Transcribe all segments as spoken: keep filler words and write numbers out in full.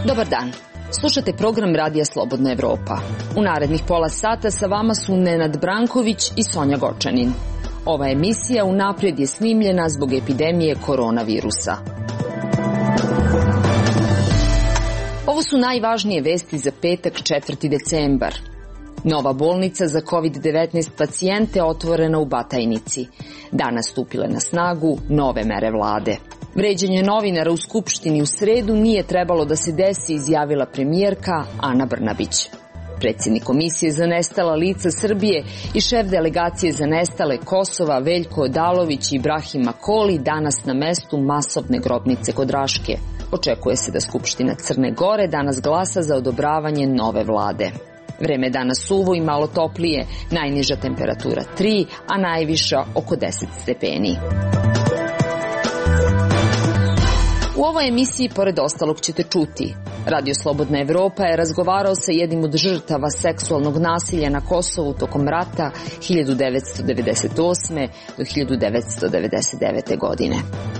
Dobar dan. Slušate program Radija Slobodna Evropa. U narednih pola sata sa vama su Nenad Branković i Sonja Gočanin. Ova emisija unaprijed je snimljena zbog epidemije koronavirusa. Ovo su najvažnije vesti za petak četvrti decembar. Nova bolnica za kovid devetnaest pacijente otvorena u Batajnici. Danas stupile na snagu nove mere vlade. Vređanje novinara u Skupštini u sredu nije trebalo da se desi, izjavila premijerka Ana Brnabić. Predsjednik Komisije za nestala lica Srbije i šef delegacije za nestale Kosova Veljko Odalović i Ibrahim Koli danas na mestu masovne grobnice kod Raške. Očekuje se da Skupština Crne Gore danas glasa za odobravanje nove vlade. Vreme je danas suvo i malo toplije, najniža temperatura tri, a najviša oko deset stepeni. U ovoj emisiji, pored ostalog, ćete čuti. Radio Slobodna Evropa je razgovarao sa jednim od žrtava seksualnog nasilja na Kosovu tokom rata hiljadu devetsto devedeset osme. do hiljadu devetsto devedeset devete. godine.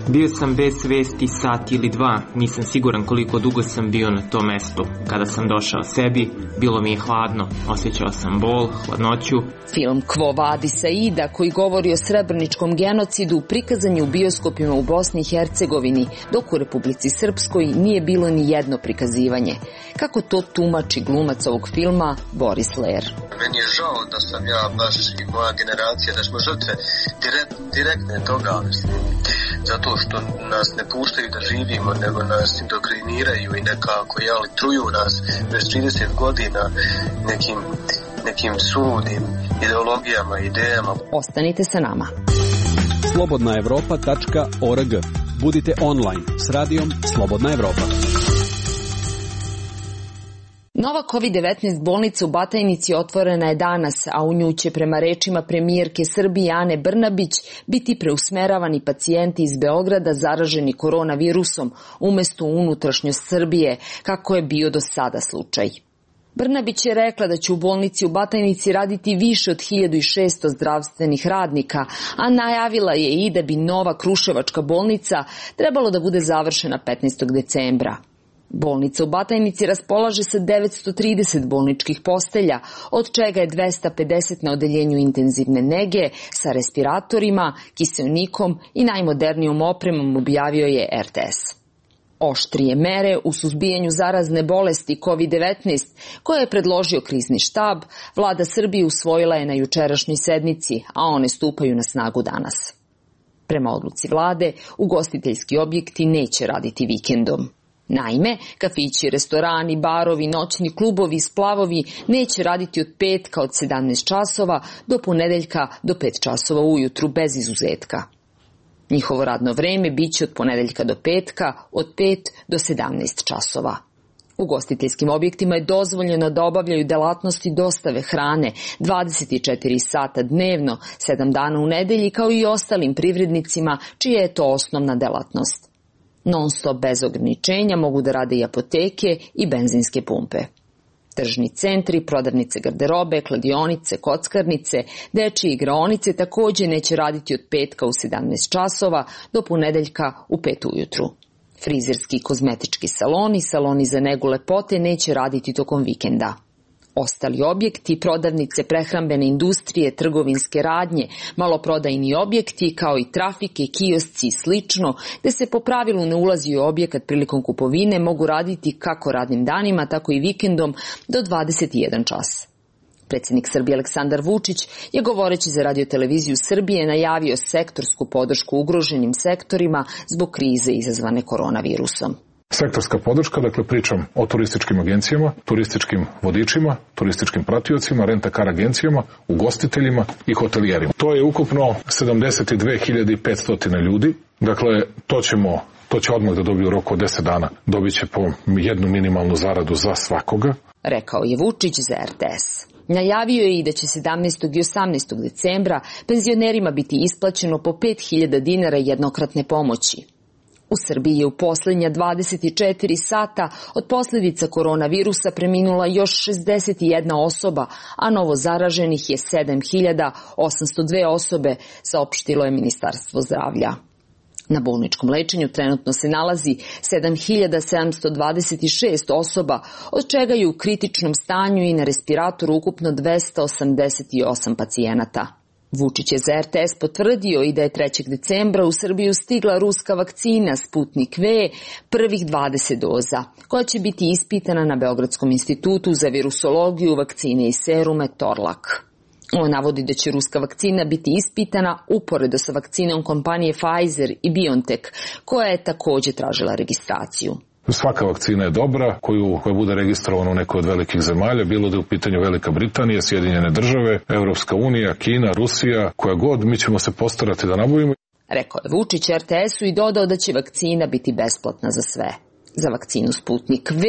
Bio sam bez svesti sat ili dva, nisam siguran koliko dugo sam bio na tom mestu. Kada sam došao sebi, bilo mi je hladno, osjećao sam bol, hladnoću. Film Quo Vadis Aida, koji govori o srebreničkom genocidu, prikazan je u bioskopima u Bosni i Hercegovini, dok u Republici Srpskoj nije bilo ni jedno prikazivanje. Kako to tumači glumac ovog filma Boris Ler? Meni je žao da sam ja baš i moja generacija, da smo žrtve direkt, direktne toga, mislim, zato što nas ne puštaju da živimo, nego nas indokriniraju i nekako, jeli, truju nas već trideset godina nekim, nekim suludim ideologijama, idejama. Ostanite sa nama. slobodna evropa tačka org. Budite online s radijom Slobodna Evropa. Nova kovid devetnaest bolnica u Batajnici otvorena je danas, a u nju će prema rečima premijerke Srbije Ane Brnabić biti preusmeravani pacijenti iz Beograda zaraženi koronavirusom umesto u unutrašnjost Srbije, kako je bio do sada slučaj. Brnabić je rekla da će u bolnici u Batajnici raditi više od hiljadu šesto zdravstvenih radnika, a najavila je i da bi nova kruševačka bolnica trebalo da bude završena petnaestog decembra. Bolnica u Batajnici raspolaže sa devetsto trideset bolničkih postelja, od čega je dvesta pedeset na odeljenju intenzivne nege sa respiratorima, kiseonikom i najmodernijom opremom, objavio je er te es. Oštrije mere u suzbijanju zarazne bolesti kovid devetnaest, koje je predložio krizni štab, vlada Srbije usvojila je na jučerašnjoj sednici, a one stupaju na snagu danas. Prema odluci vlade, ugostiteljski objekti neće raditi vikendom. Naime, kafići, restorani, barovi, noćni klubovi i splavovi neće raditi od petka od sedamnaest časova do ponedeljka do pet časova ujutru bez izuzetka. Njihovo radno vreme biće od ponedeljka do petka od pet do sedamnaest časova. Ugostiteljskim objektima je dozvoljeno da obavljaju delatnosti dostave hrane dvadeset četiri sata dnevno, sedam dana u nedelji, kao i ostalim privrednicima čija je to osnovna delatnost. Non-stop bez ograničenja mogu da rade i apoteke i benzinske pumpe. Tržni centri, prodavnice garderobe, kladionice, kockarnice, dečije igraonice također neće raditi od petka u sedamnaest časova do ponedeljka u pet ujutru. Frizerski i kozmetički saloni, saloni za negu lepote neće raditi tokom vikenda. Ostali objekti, prodavnice prehrambene industrije, trgovinske radnje, maloprodajni objekti, kao i trafike, kiosci i slično, gde se po pravilu ne ulazi u objekat prilikom kupovine, mogu raditi kako radnim danima, tako i vikendom do dvadeset jedan čas. Predsjednik Srbije Aleksandar Vučić je, govoreći za Radio-televiziju Srbije, najavio sektorsku podršku ugroženim sektorima zbog krize izazvane koronavirusom. Sektorska podrška, dakle pričam o turističkim agencijama, turističkim vodičima, turističkim pratiocima, rent-a-car agencijama, ugostiteljima i hotelijerima. To je ukupno sedamdeset dve hiljade petsto ljudi, dakle to ćemo, to će odmah da dobiju u roku od deset dana, dobit će po jednu minimalnu zaradu za svakoga. Rekao je Vučić za er te es. Najavio je i da će sedamnaestog i osamnaestog decembra penzionerima biti isplaćeno po pet hiljada dinara jednokratne pomoći. U Srbiji je u posljednja dvadeset četiri sata od posljedica koronavirusa preminula još šezdeset jedna osoba, a novo zaraženih je sedam hiljada osamsto dve osobe, saopštilo je Ministarstvo zdravlja. Na bolničkom lečenju trenutno se nalazi sedam hiljada sedamsto dvadeset šest osoba, od čega je u kritičnom stanju i na respiratoru ukupno dvesta osamdeset osam pacijenata. Vučić je za er te es potvrdio i da je trećeg decembra u Srbiju stigla ruska vakcina Sputnik V, prvih dvadeset doza, koja će biti ispitana na Beogradskom institutu za virusologiju, vakcine i serume Torlak. On navodi da će ruska vakcina biti ispitana uporedo sa vakcinom kompanije Pfizer i BioNTech, koja je također tražila registraciju. Svaka vakcina je dobra koju, koja bude registrovana u nekoj od velikih zemalja, bilo da je u pitanju Velika Britanija, Sjedinjene države, Evropska unija, Kina, Rusija, koja god, mi ćemo se postarati da nabavimo. Rekao je Vučić er te esu i dodao da će vakcina biti besplatna za sve. Za vakcinu Sputnik V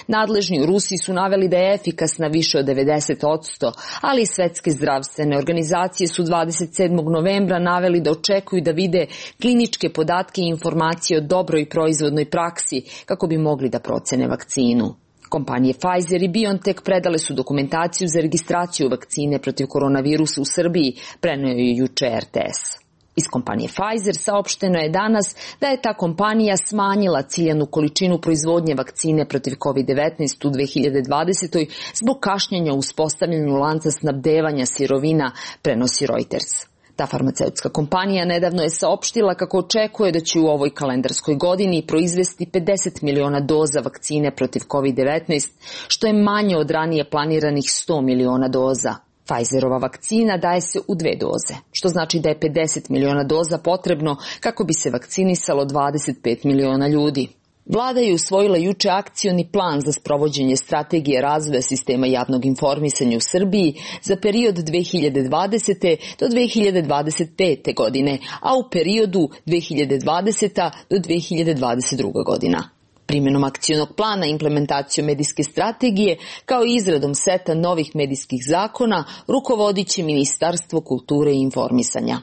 nadležni u Rusiji su naveli da je efikasna više od devedeset posto, ali i svetske zdravstvene organizacije su dvadeset sedmog novembra naveli da očekuju da vide kliničke podatke i informacije o dobroj proizvodnoj praksi kako bi mogli da procene vakcinu. Kompanije Pfizer i BioNTech predale su dokumentaciju za registraciju vakcine protiv koronavirusa u Srbiji, preneo je juče er te es. Iz kompanije Pfizer saopšteno je danas da je ta kompanija smanjila ciljanu količinu proizvodnje vakcine protiv kovid devetnaest u dve hiljade dvadesetoj zbog kašnjenja u uspostavljanju lanca snabdevanja sirovina, prenosi Reuters. Ta farmaceutska kompanija nedavno je saopštila kako očekuje da će u ovoj kalendarskoj godini proizvesti pedeset miliona doza vakcine protiv kovid devetnaest, što je manje od ranije planiranih sto miliona doza. Pfizerova vakcina daje se u dve doze, što znači da je pedeset miliona doza potrebno kako bi se vakcinisalo dvadeset pet miliona ljudi. Vlada je usvojila juče akcioni plan za sprovođenje strategije razvoja sistema javnog informisanja u Srbiji za period dve hiljade dvadesete do dve hiljade dvadeset pete. godine, a u periodu dve hiljade dvadesete do dve hiljade dvadeset druge. godina. Primjenom akcionog plana, implementacijom medijske strategije, kao i izradom seta novih medijskih zakona, rukovodit će Ministarstvo kulture i informisanja.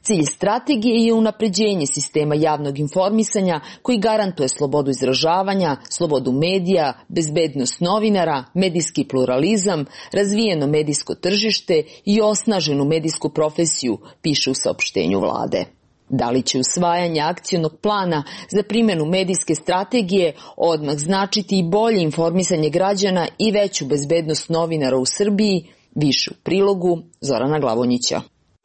Cilj strategije je unapređenje sistema javnog informisanja koji garantuje slobodu izražavanja, slobodu medija, bezbednost novinara, medijski pluralizam, razvijeno medijsko tržište i osnaženu medijsku profesiju, piše u saopštenju vlade. Da li će usvajanje akcionog plana za primjenu medijske strategije odmah značiti i bolje informisanje građana i veću bezbednost novinara u Srbiji, više u prilogu Zorana Glavonjića.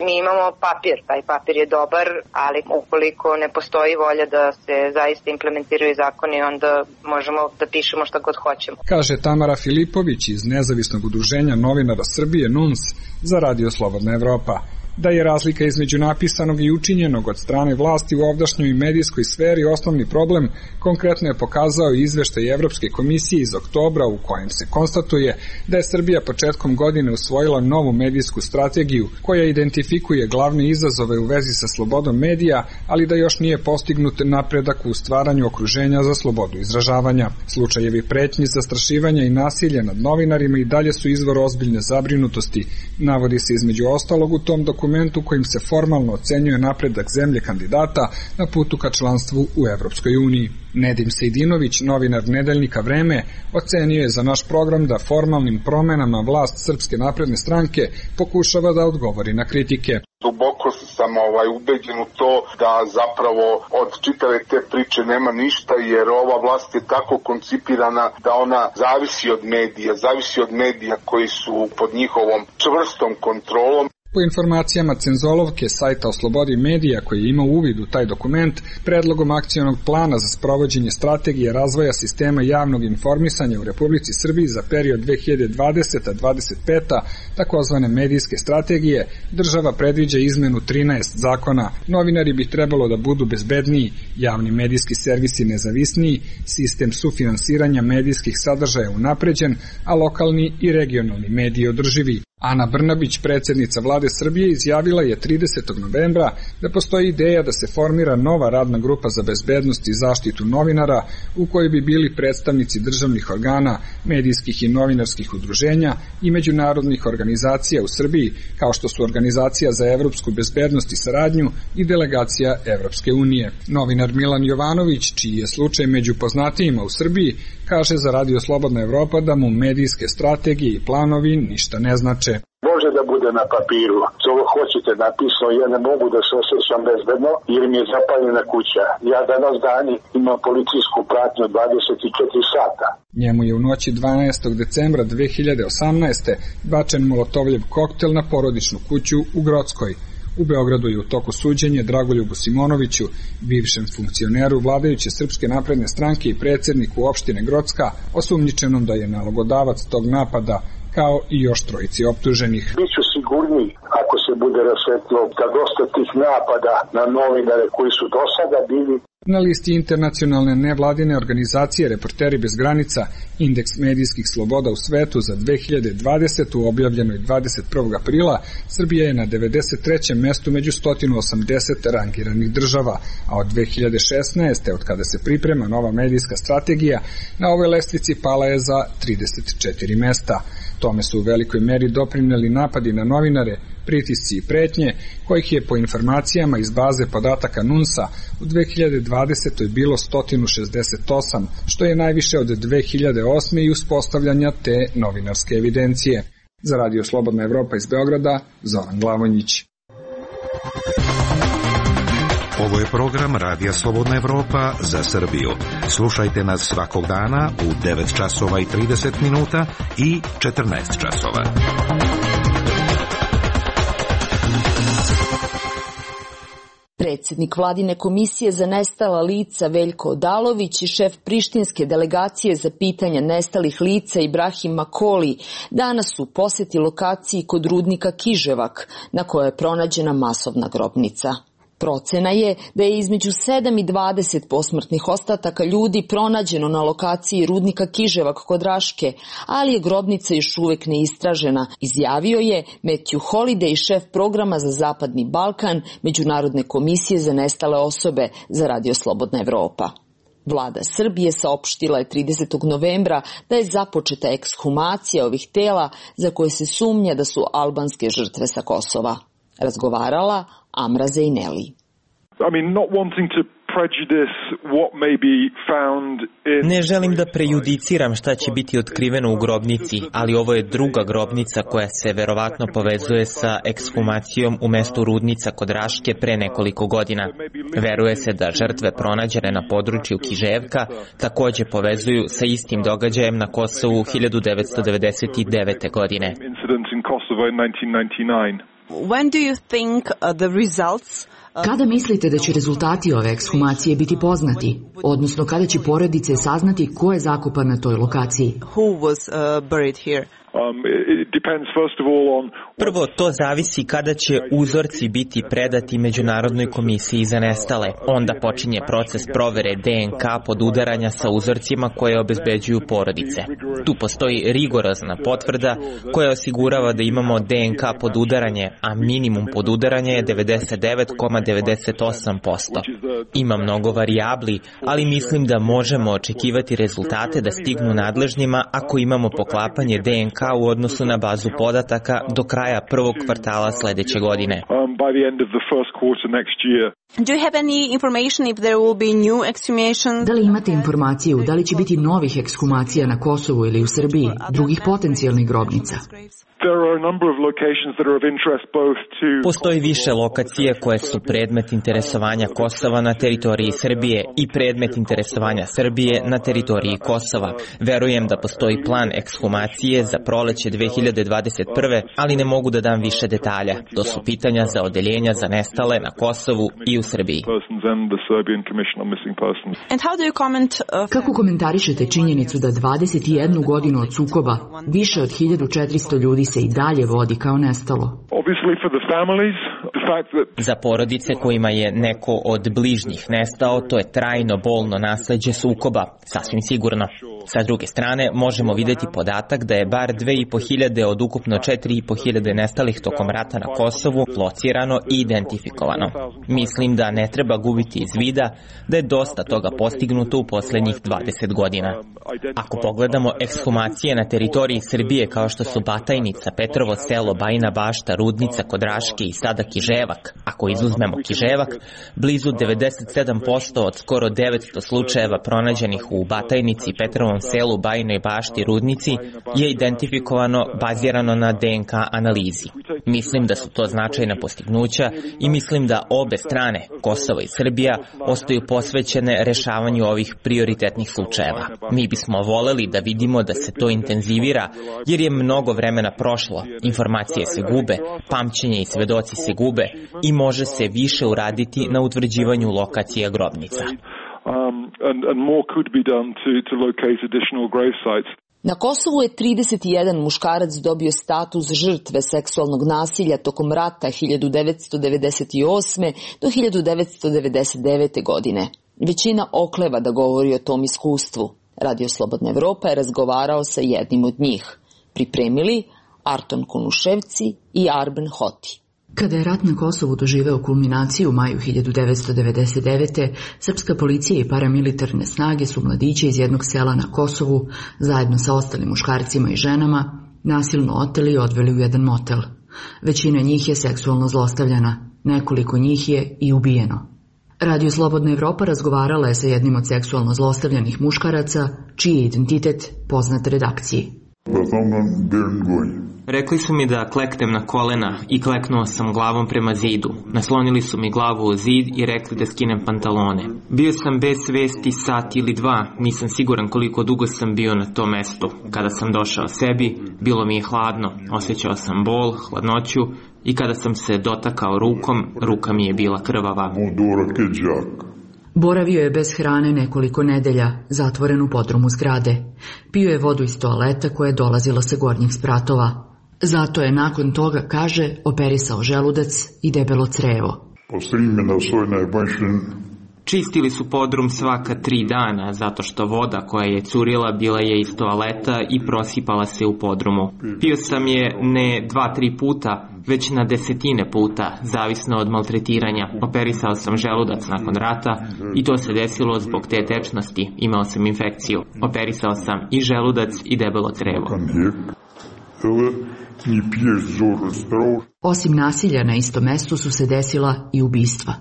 Mi imamo papir, taj papir je dobar, ali ukoliko ne postoji volja da se zaista implementiraju zakoni, onda možemo da pišemo šta god hoćemo. Kaže Tamara Filipović iz Nezavisnog udruženja novinara Srbije N U N S za Radio Slobodna Evropa. Da je razlika između napisanog i učinjenog od strane vlasti u ovdašnjoj medijskoj sferi osnovni problem, konkretno je pokazao i izveštaj Evropske komisije iz oktobra u kojem se konstatuje da je Srbija početkom godine usvojila novu medijsku strategiju koja identifikuje glavne izazove u vezi sa slobodom medija, ali da još nije postignut napredak u stvaranju okruženja za slobodu izražavanja. Slučajevi pretnji, zastrašivanja i nasilja nad novinarima i dalje su izvor ozbiljne zabrinutosti, navodi se između ostalog u tom dokumentu kojim se formalno ocenjuje napredak zemlje kandidata na putu ka članstvu u Evropskoj uniji. Nedim Sejdinović, novinar Nedeljnika Vreme, ocenio je za naš program da formalnim promenama vlast Srpske napredne stranke pokušava da odgovori na kritike. Duboko sam ovaj, ubeđen u to da zapravo od čitave te priče nema ništa, jer ova vlast je tako koncipirana da ona zavisi od medija, zavisi od medija koji su pod njihovom čvrstom kontrolom. Po informacijama Cenzolovke, sajta o slobodi medija koji je imao uvid u taj dokument, predlogom akcionog plana za sprovođenje strategije razvoja sistema javnog informisanja u Republici Srbiji za period dve hiljade dvadesete do dvadeset pete. takozvane medijske strategije, država predviđa izmenu trinaest zakona. Novinari bi trebalo da budu bezbedniji, javni medijski servisi nezavisniji, sistem sufinansiranja medijskih sadržaja unapređen, a lokalni i regionalni mediji održivi. Ana Brnabić, predsjednica vlade Srbije, izjavila je tridesetog novembra da postoji ideja da se formira nova radna grupa za bezbednost i zaštitu novinara u kojoj bi bili predstavnici državnih organa, medijskih i novinarskih udruženja i međunarodnih organizacija u Srbiji, kao što su Organizacija za evropsku bezbednost i saradnju i Delegacija Evropske unije. Novinar Milan Jovanović, čiji je slučaj među poznatijima u Srbiji, kaže za Radio Slobodna Evropa da mu medijske strategije i planovi ništa ne znače. Može da bude na papiru, što hoćete napisano, ja ne mogu da se osjećam bezbedno jer mi je zapaljena kuća. Ja danas dani imam policijsku pratnju dvadeset četiri sata. Njemu je u noći dvanaestog decembra dve hiljade osamnaeste. bačen molotovljev koktel na porodičnu kuću u Grockoj. U Beogradu je u toku suđenje Dragoljubu Simonoviću, bivšem funkcioneru vladajuće Srpske napredne stranke i predsjedniku opštine Grocka, osumnjičenom da je nalogodavac tog napada, kao i još trojici optuženih. Biću sigurniji ako se bude rasvetlo da dosta tih napada na novinare koji su do sada bili. Na listi internacionalne nevladine organizacije Reporteri bez granica, indeks medijskih sloboda u svetu za dve hiljade dvadesetu. objavljenoj dvadeset prvog aprila, Srbija je na devedeset trećem mestu među sto osamdeset rangiranih država, a od dve hiljade šesnaeste. od kada se priprema nova medijska strategija, na ovoj lestvici pala je za trideset četiri mesta. Tome su u velikoj meri doprineli napadi na novinare, pritisci i pretnje, kojih je po informacijama iz baze podataka NUNS-a u dve hiljade dvadesetoj. bilo sto šezdeset osam, što je najviše od dve hiljade osme. i uspostavljanja te novinarske evidencije. Za Radio Slobodna Evropa iz Beograda, Zoran Glavonjić. Ovo je program Radija Slobodna Evropa za Srbiju. Slušajte nas svakog dana u devet časova i trideset minuta i četrnaest časova. Predsjednik vladine komisije za nestala lica Veljko Odalović i šef prištinske delegacije za pitanja nestalih lica Ibrahim Makoli danas su u posjeti lokaciji kod rudnika Kiževak, na kojoj je pronađena masovna grobnica. Procena je da je između sedam i dvadeset posmrtnih ostataka ljudi pronađeno na lokaciji rudnika Kiževak kod Raške, ali je grobnica još uvek neistražena, izjavio je Matthew Holiday, šef programa za Zapadni Balkan Međunarodne komisije za nestale osobe za Radio Slobodna Evropa. Vlada Srbije saopštila je tridesetog novembra da je započeta ekshumacija ovih tela za koje se sumnja da su albanske žrtve sa Kosova. Razgovarala Amra Zejneli. I mean, not wanting to prejudice what may be found in... Ne želim da prejudiciram šta će biti otkriveno u grobnici, ali ovo je druga grobnica koja se verovatno povezuje sa ekshumacijom u mestu Rudnica kod Raške pre nekoliko godina. Veruje se da žrtve pronađene na području Kiževka takođe povezuju sa istim događajem na Kosovu hiljadu devetsto devedeset devete. godine. When do you think uh, the results Kada mislite da će rezultati ove ekshumacije biti poznati, odnosno kada će porodice saznati ko je zakopan na toj lokaciji? Who was uh, buried here? Prvo, to zavisi kada će uzorci biti predati Međunarodnoj komisiji za nestale. Onda počinje proces provere D N K podudaranja sa uzorcima koje obezbeđuju porodice. Tu postoji rigorozna potvrda koja osigurava da imamo D N K podudaranje, a minimum podudaranja je devedeset devet zarez devedeset osam posto. Ima mnogo varijabli, ali mislim da možemo očekivati rezultate da stignu nadležnima ako imamo poklapanje D N K u odnosu na bazu podataka do kraja prvog kvartala sledeće godine. Do you have any information if there will be new exhumations? Da li imate informaciju da li će biti novih ekshumacija na Kosovu ili u Srbiji, drugih potencijalnih grobnica? Postoji više lokacije koje su predmet interesovanja Kosova na teritoriji Srbije i predmet interesovanja Srbije na teritoriji Kosova. Verujem da postoji plan ekshumacije za proleće dve hiljade dvadeset prve. ali ne mogu da dam više detalja. To su pitanja za odeljenja za nestale na Kosovu i u Srbiji. And how do you comment, uh, Kako komentarišete činjenicu da dvadeset jednu godinu od sukoba više od hiljadu četiristo ljudi se i dalje vodi kao nestalo? Za porodice kojima je neko od bližnjih nestao, to je trajno bolno nasleđe sukoba, sasvim sigurno. Sa druge strane, možemo vidjeti podatak da je bar dve i po hiljade od ukupno četiri i po hiljade nestalih tokom rata na Kosovu locirano i identifikovano. Mislim da ne treba gubiti iz vida da je dosta toga postignuto u posljednjih dvadeset godina. Ako pogledamo ekshumacije na teritoriji Srbije kao što su Batajnica, Petrovo selo, Bajina Bašta, Rudnica kod Raške i sada Kiževak, ako izuzmemo Kiževak, blizu devedeset sedam posto od skoro devetsto slučajeva pronađenih u Batajnici, Petrovom selu, Bajinoj Bašti, Rudnici je identifikovano bazirano na D N K analizi. Mislim da su to značajna postignuća i mislim da obe strane, Kosovo i Srbija, ostaju posvećene rešavanju ovih prioritetnih slučajeva. Mi bismo voleli da vidimo da se to intenzivira, jer je mnogo vremena prošlo, informacije se gube, pamćenje i svedoci se gube i može se više uraditi na utvrđivanju lokacija grobnica. Na Kosovu je trideset jedan muškarac dobio status žrtve seksualnog nasilja tokom rata hiljadu devetsto devedeset osme do hiljadu devetsto devedeset devete. godine. Većina okleva da govori o tom iskustvu. Radio Slobodna Evropa je razgovarao sa jednim od njih. Pripremili Arton Kunuševci i Arben Hoti. Kada je rat na Kosovu doživeo kulminaciju u maju hiljadu devetsto devedeset devete. srpska policija i paramilitarne snage su mladiće iz jednog sela na Kosovu, zajedno sa ostalim muškarcima i ženama, nasilno oteli i odveli u jedan motel. Većina njih je seksualno zlostavljana, nekoliko njih je i ubijeno. Radio Slobodna Evropa razgovarala je sa jednim od seksualno zlostavljanih muškaraca, čiji je identitet poznat redakciji. Rekli su mi da kleknem na kolena i kleknuo sam glavom prema zidu. Naslonili su mi glavu u zid i rekli da skinem pantalone. Bio sam bez svesti sat ili dva, nisam siguran koliko dugo sam bio na tom mestu. Kada sam došao sebi, bilo mi je hladno, osjećao sam bol, hladnoću i kada sam se dotakao rukom, ruka mi je bila krvava. Boravio je bez hrane nekoliko nedelja, zatvoren u podrumu zgrade. Pio je vodu iz toaleta koja je dolazila sa gornjih spratova. Zato je nakon toga, kaže, operisao želudac i debelo crevo. Čistili su podrum svaka tri dana, zato što voda koja je curila bila je iz toaleta i prosipala se u podrumu. Pio sam je ne dva, tri puta, već na desetine puta, zavisno od maltretiranja. Operisao sam želudac nakon rata i to se desilo zbog te tečnosti. Imao sam infekciju. Operisao sam i želudac i debelo crevo. Osim nasilja na istom mestu su se desila i ubistva.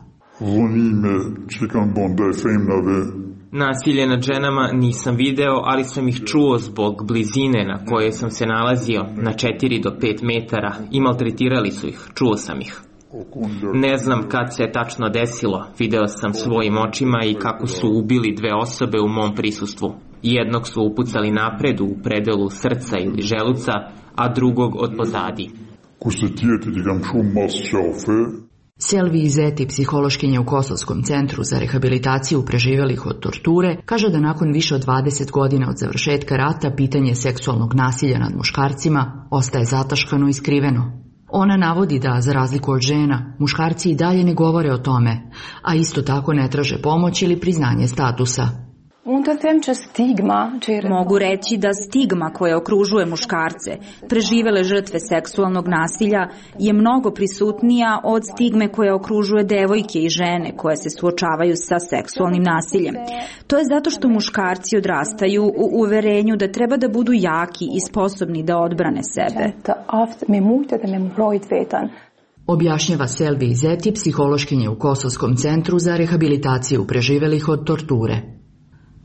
Nasilje nad ženama nisam video, ali sam ih čuo zbog blizine na kojoj sam se nalazio, na četiri do pet metara, i maltretirali su ih, čuo sam ih. Ne znam kad se je tačno desilo, video sam svojim očima i kako su ubili dve osobe u mom prisustvu. Jednog su upucali napred u predelu srca ili želuca, a drugog od pozadi. Selvi Izeti, psihološkinja u Kosovskom centru za rehabilitaciju preživelih od torture, kaže da nakon više od dvadeset godina od završetka rata pitanje seksualnog nasilja nad muškarcima ostaje zataškano i skriveno. Ona navodi da, za razliku od žena, muškarci i dalje ne govore o tome, a isto tako ne traže pomoć ili priznanje statusa. Mogu reći da stigma koja okružuje muškarce, preživele žrtve seksualnog nasilja, je mnogo prisutnija od stigme koja okružuje devojke i žene koje se suočavaju sa seksualnim nasiljem. To je zato što muškarci odrastaju u uverenju da treba da budu jaki i sposobni da odbrane sebe. Objašnjava Selvi Izeti, psihološkinja u Kosovskom centru za rehabilitaciju preživelih od torture.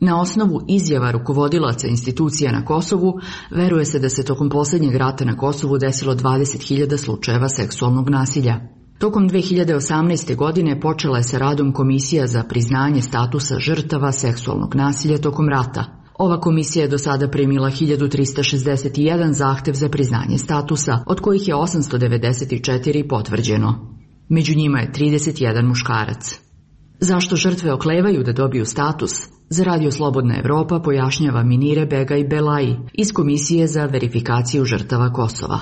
Na osnovu izjava rukovodilaca institucija na Kosovu, veruje se da se tokom posljednjeg rata na Kosovu desilo dvadeset hiljada slučajeva seksualnog nasilja. Tokom dve hiljade osamnaeste. godine počela je sa radom Komisija za priznanje statusa žrtava seksualnog nasilja tokom rata. Ova komisija je do sada primila hiljadu trista šezdeset jedan zahtev za priznanje statusa, od kojih je osamsto devedeset četiri potvrđeno. Među njima je trideset jedan muškarac. Zašto žrtve oklevaju da dobiju status? Za Radio Slobodna Evropa pojašnjava Minire Begaj Belaji iz Komisije za verifikaciju žrtava Kosova.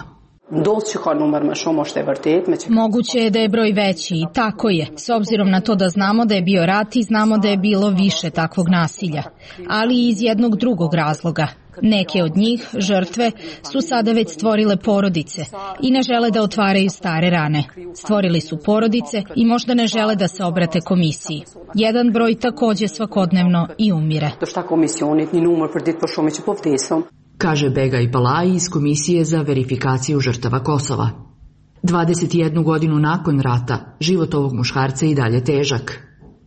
Moguće je da je broj veći i tako je, s obzirom na to da znamo da je bio rat i znamo da je bilo više takvog nasilja, ali i iz jednog drugog razloga. Neke od njih, žrtve, su sada već stvorile porodice i ne žele da otvaraju stare rane. Stvorili su porodice i možda ne žele da se obrate komisiji. Jedan broj takođe svakodnevno i umire. Kaže Begaj Balaji iz Komisije za verifikaciju žrtava Kosova. dvadeset jednu godinu nakon rata, život ovog muškarca je i dalje težak.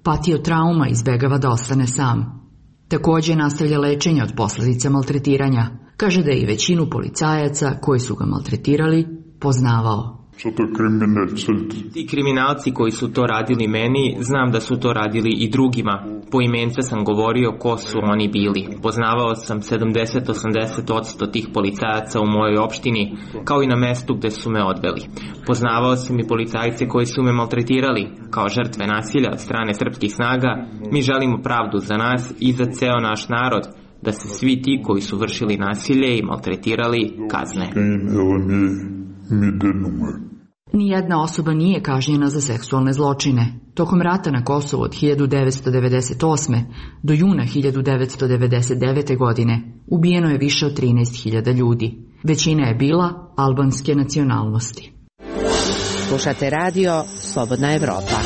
Patio trauma, izbegava da ostane sam. Takođe nastavlja lečenje od posledica maltretiranja. Kaže da je i većinu policajaca koji su ga maltretirali poznavao. Ti kriminalci koji su to radili meni, znam da su to radili i drugima. Poimence sam govorio ko su oni bili. Poznavao sam sedamdeset do osamdeset posto tih policajaca u mojoj opštini, kao i na mestu gde su me odveli. Poznavao sam i policajce koji su me maltretirali, kao žrtve nasilja od strane srpskih snaga. Mi želimo pravdu za nas i za ceo naš narod, da se svi ti koji su vršili nasilje i maltretirali kazne. Nijedna osoba nije kažnjena za seksualne zločine. Tokom rata na Kosovu od hiljadu devetsto devedeset osme. do juna hiljadu devetsto devedeset devete. godine ubijeno je više od trinaest hiljada ljudi. Većina je bila albanske nacionalnosti. Slušate radio Slobodna Evropa.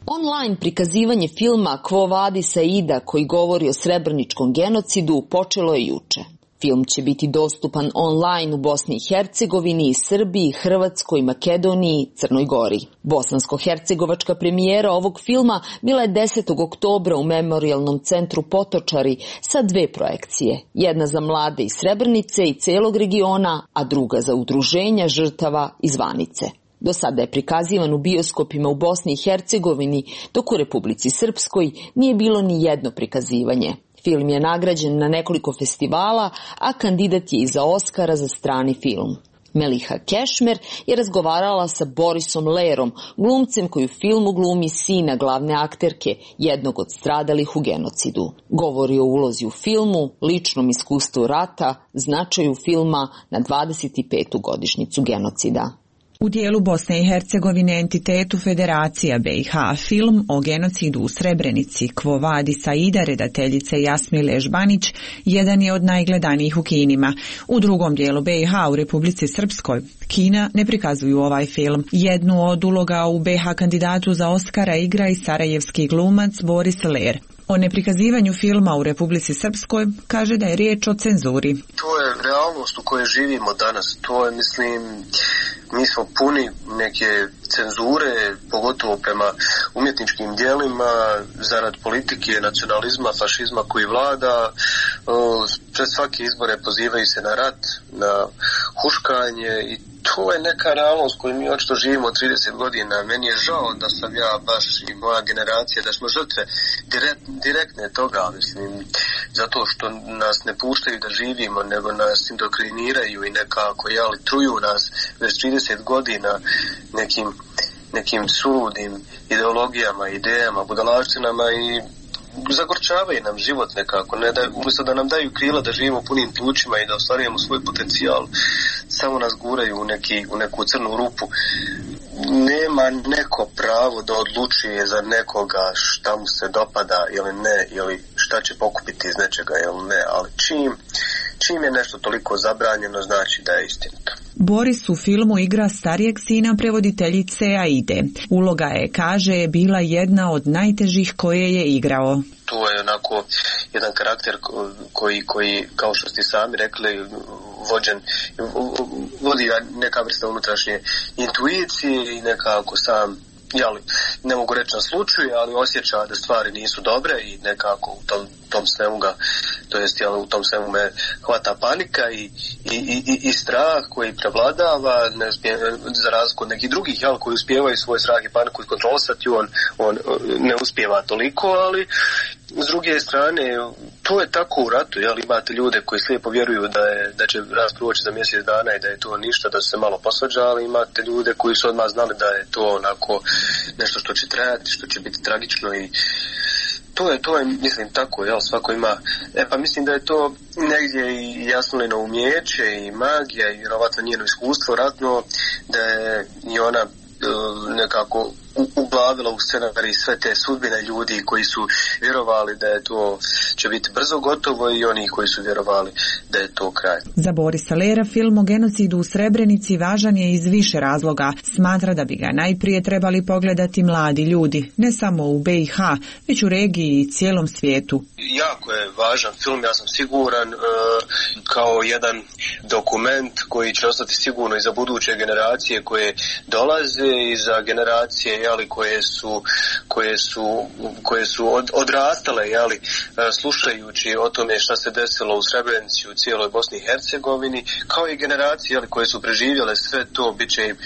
Online prikazivanje filma Quo Vadis Aida, koji govori o srebreničkom genocidu, počelo je juče. Film će biti dostupan online u Bosni i Hercegovini, Srbiji, Hrvatskoj, Makedoniji, Crnoj Gori. Bosansko-hercegovačka premijera ovog filma bila je desetog oktobra u Memorijalnom centru Potočari sa dve projekcije. Jedna za mlade iz Srebrenice i celog regiona, a druga za udruženja žrtava iz Vanice. Do sada je prikazivan u bioskopima u Bosni i Hercegovini, dok u Republici Srpskoj nije bilo ni jedno prikazivanje. Film je nagrađen na nekoliko festivala, a kandidat je i za Oskara za strani film. Meliha Kešmer je razgovarala sa Borisom Lerom, glumcem koji u filmu glumi sina glavne akterke, jednog od stradalih u genocidu. Govori o ulozi u filmu, ličnom iskustvu rata, značaju filma na dvadeset petu godišnjicu genocida. U dijelu Bosne i Hercegovine entitetu Federacija B i H film o genocidu u Srebrenici Quo Vadis Aida redateljice Jasmile Žbanić jedan je od najgledanijih u kinima. U drugom dijelu B i H u Republici Srpskoj kina ne prikazuju ovaj film. Jednu od uloga u B i H kandidatu za Oskara igra i sarajevski glumac Boris Ler. O neprikazivanju filma u Republici Srpskoj kaže da je riječ o cenzuri. To je realnost u kojoj živimo danas. To je, mislim, mi smo puni neke cenzure, pogotovo prema umjetničkim dijelima, zarad politike, nacionalizma, fašizma koji vlada. Pred svake izbore pozivaju se na rat, na huškanje i to je neka realnost koju mi očito živimo trideset godina. Meni je žao da sam ja baš i moja generacija, da smo žrtve direkt, direktne toga, mislim, zato što nas ne puštaju da živimo, nego nas indokriniraju i nekako, jeli, truju nas već trideset godina nekim, nekim suludim ideologijama, idejama, budalaštinama i zagorčavaju nam život nekako, ne da, umjesto da nam daju krila da živimo punim plućima i da ostvarujemo svoj potencijal, samo nas guraju u, neki, u neku crnu rupu. Nema neko pravo da odlučuje za nekoga šta mu se dopada ili ne, ili šta će pokupiti iz nečega ili ne, ali čim, čim je nešto toliko zabranjeno, znači da je istinito. Boris u filmu igra starijeg sina prevoditeljice Aide. Uloga je, kaže, bila jedna od najtežih koje je igrao. To je onako jedan karakter koji, koji kao što ste sami rekli, vođen, vodi neka vrsta unutrašnje intuicije i nekako sam, jeli, ne mogu reći naslučuje, ali osjeća da stvari nisu dobre i nekako u tom, tom svemu ga, to jest, jeli, u tom svemu me hvata panika i, i, i, i strah koji prevladava, ne uspije, za razliku od nekih drugih, jeli, koji uspijevaju svoj strah i paniku iskontrolisati, on, on ne uspijeva toliko, ali s druge strane, to je tako u ratu, jel, imate ljude koji slijepo vjeruju da, je, da će rast proći za mjesec dana i da je to ništa, da su se malo posvađa, ali imate ljude koji su odmah znali da je to onako nešto što će trajati, što će biti tragično i to to je, to je, mislim, tako, jel, svako ima, e pa mislim da je to negdje i Jasmilino umijeće i magija i vjerovatno njeno iskustvo ratno, da je i ona nekako uglavila u scenarij sve te sudbine ljudi koji su vjerovali da je to će biti brzo gotovo i oni koji su vjerovali da je to kraj. Za Borisa Lera film o genocidu u Srebrenici važan je iz više razloga. Smatra da bi ga najprije trebali pogledati mladi ljudi, ne samo u be i ha, već u regiji i cijelom svijetu. Jako je važan film, ja sam siguran, kao jedan dokument koji će ostati sigurno i za buduće generacije koje dolaze i za generacije jeli, koje su, koje su, koje su od, odrastale jeli, slušajući o tome šta se desilo u Srebrenici, u cijeloj Bosni i Hercegovini, kao i generacije jeli, koje su preživjele sve to, bit će im,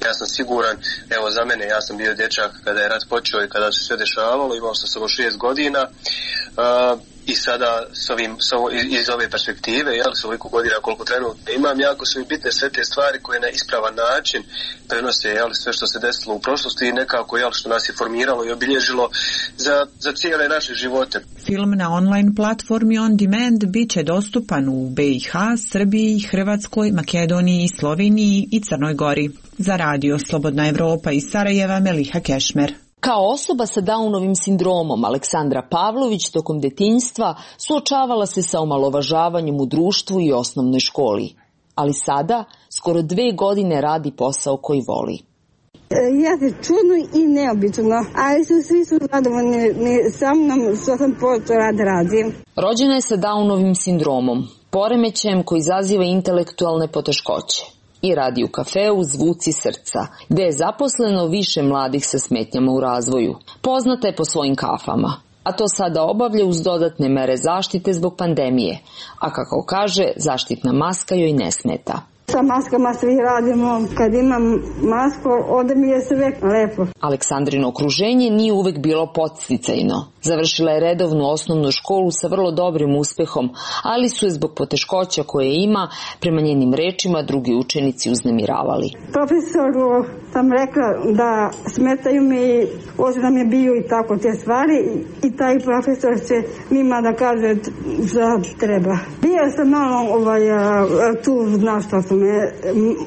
ja sam siguran, evo za mene, ja sam bio dječak kada je rat počeo i kada se sve dešavalo, imao sam samo šest godina, uh, i sada s ovim, s ovo, iz ove perspektive, jel, s ovoliko godina koliko trenutno imam, jako su mi bitne sve te stvari koje na ispravan način prenose, jel, sve što se desilo u prošlosti i nekako, jel, što nas je formiralo i obilježilo za, za cijele naše živote. Film na online platformi On Demand bit će dostupan u be i ha, Srbiji, Hrvatskoj, Makedoniji, Sloveniji i Crnoj Gori. Za Radio Slobodna Evropa iz Sarajeva, Meliha Kešmer. Kao osoba sa Downovim sindromom, Aleksandra Pavlović tokom detinjstva suočavala se sa omalovažavanjem u društvu i osnovnoj školi. Ali sada, skoro dve godine radi posao koji voli. Jeste čudno i neobično, ali su svi su zadovoljni sa mnom što sam počeo rad radim. Rođena je sa Downovim sindromom, poremećajem koji izaziva intelektualne poteškoće. I radi u kafeu Zvuci srca, gde je zaposleno više mladih sa smetnjama u razvoju. Poznata je po svojim kafama, a to sada obavlja uz dodatne mere zaštite zbog pandemije, a kako kaže, zaštitna maska joj ne smeta. Sa maskama svi radimo, kad imam masku, onda mi je sve lepo. Aleksandrino okruženje nije uvek bilo podsticajno. Završila je redovnu osnovnu školu sa vrlo dobrim uspehom, ali su je zbog poteškoća koje ima, prema njenim rečima, drugi učenici uznemiravali. Profesoru sam rekla da smetaju mi, ovdje nam je bio i tako te stvari, i taj profesor će njima da kaže da treba. Bio sam malo ovaj, tu, znaš što su me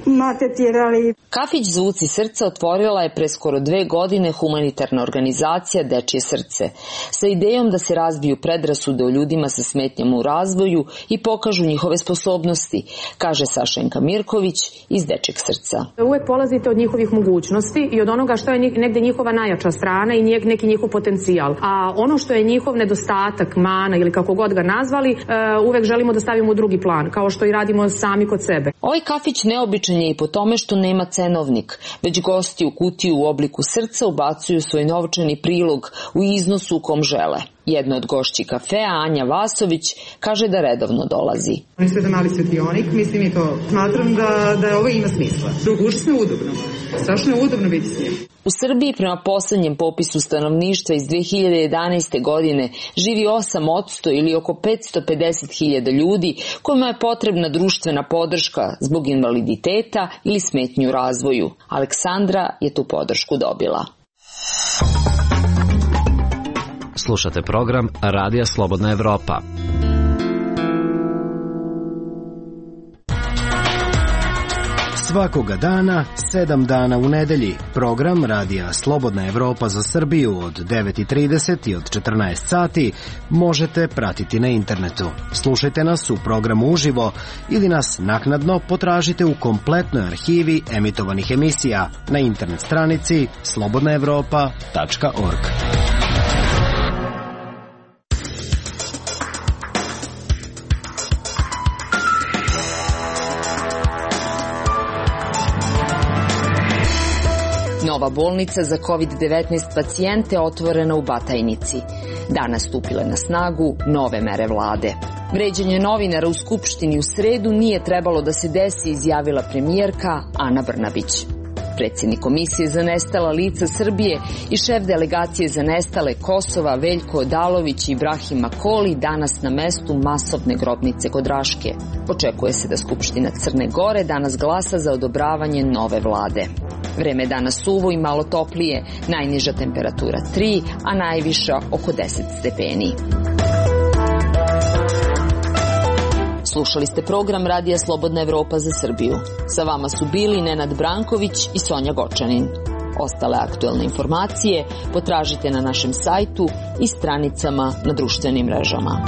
maltretirali. Kafić Zvuci srca otvorila je pre skoro dve godine humanitarna organizacija Dečje srce, sa idejom da se razbiju predrasude o ljudima sa smetnjama u razvoju i pokažu njihove sposobnosti, kaže Sašenka Mirković iz Dečjeg srca. Uvek polazite od njihovih mogućnosti i od onoga što je negde njihova najjača strana i neki njihov potencijal. A ono što je njihov nedostatak, mana ili kako god ga nazvali, uvek želimo da stavimo u drugi plan, kao što i radimo sami kod sebe. Ovaj kafić neobičan je i po tome što nema cenovnik, već gosti u kutiju u obliku srca ubacuju svoj novčani prilog u iznosu u kom žele. Jedna od gošći kafea, Anja Vasović, kaže da redovno dolazi. Oni su jedan mali svetionik, mislim i to smatram da, da ovo ima smisla. Užasno je udobno. Strašno je udobno biti s njim. U Srbiji prema poslednjem popisu stanovništva iz dve hiljade jedanaeste. godine živi osam posto ili oko petsto pedeset hiljada ljudi kojima je potrebna društvena podrška zbog invaliditeta ili smetnju u razvoju. Aleksandra je tu podršku dobila. Slušate program Radija Slobodna Evropa. Svakoga dana, sedam dana u nedelji, program Radija Slobodna Evropa za Srbiju od devet i trideset i od četrnaest sati možete pratiti na internetu. Slušajte nas u programu uživo ili nas naknadno potražite u kompletnoj arhivi emitovanih emisija na internet stranici slobodna evropa tačka org. Nova bolnica za kovid devetnaest pacijente otvorena u Batajnici. Danas stupile na snagu nove mere vlade. Vređanje novinara u Skupštini u sredu nije trebalo da se desi, izjavila premijerka Ana Brnabić. Predsjednik Komisije za nestala lica Srbije i šef delegacije za nestale Kosova Veljko Odalović i Ibrahim Makoli danas na mestu masovne grobnice kod Raške. Očekuje se da Skupština Crne Gore danas glasa za odobravanje nove vlade. Vreme je danas suvo i malo toplije, najniža temperatura tri, a najviša oko deset stepeni. Slušali ste program Radija Slobodna Evropa za Srbiju. Sa vama su bili Nenad Branković i Sonja Gočanin. Ostale aktuelne informacije potražite na našem sajtu i stranicama na društvenim mrežama.